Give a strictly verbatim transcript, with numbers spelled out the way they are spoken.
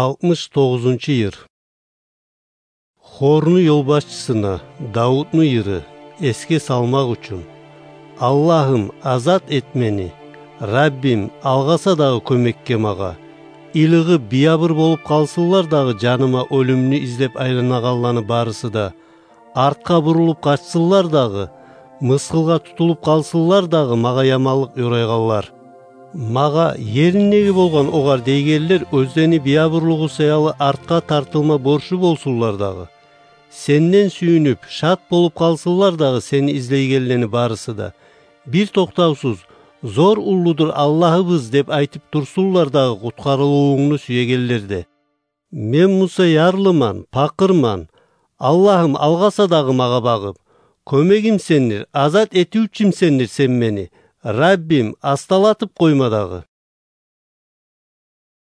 Алтмыш тогъузунчу йыр. Хорну ёлбашчысына Давутну йыры эсге салмакъ учун. Аллагьым, азат эт мени. Раббим, алгъаса дагъы кёмекге магъа. Илигъип, биябур болуп къалсынлар дагъы жаныма оьлюмню излеп айланагъанланы барысы да. Артгъа бурулуп къачсынлар дагъы, мысгъылгъа тутулуп къалсынлар дагъы магъа яманлыкъ ёрайгъанлар. Магъа ериндеги болгъан огъар дейгенлер оьзлени биябурлугъу саялы артгъа тартылма борчлу болсунлар дагъы. Сенден сююнюп, шат болуп къалсынлар дагъы сени излейгенлени барысы да. Бир токътавсуз: «Зор уллудур Аллагьыбыз», — деп айтып турсунлар дагъы къутгъарылывунгну сюегенлер де. Мен буса ярлыман, пакъырман. Аллагьым, алгъаса дагъы магъа багъып. Кёмегим сендир, азат этивчюм сендир сен мени. Раббим, асталатып къойма дагъы.